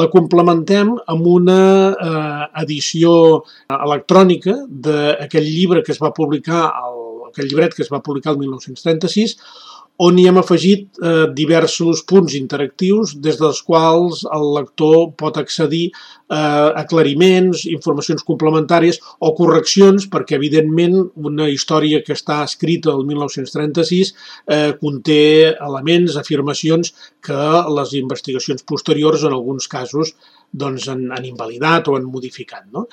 la complementem amb una edició electrònica d'aquell llibre que es va publicar, aquell llibret que es va publicar el 1936, on hi hem afegit diversos punts interactius des dels quals el lector pot accedir a aclariments, informacions complementàries o correccions, perquè evidentment una història que està escrita el 1936 conté elements, afirmacions que les investigacions posteriors en alguns casos han invalidat o han modificat, no?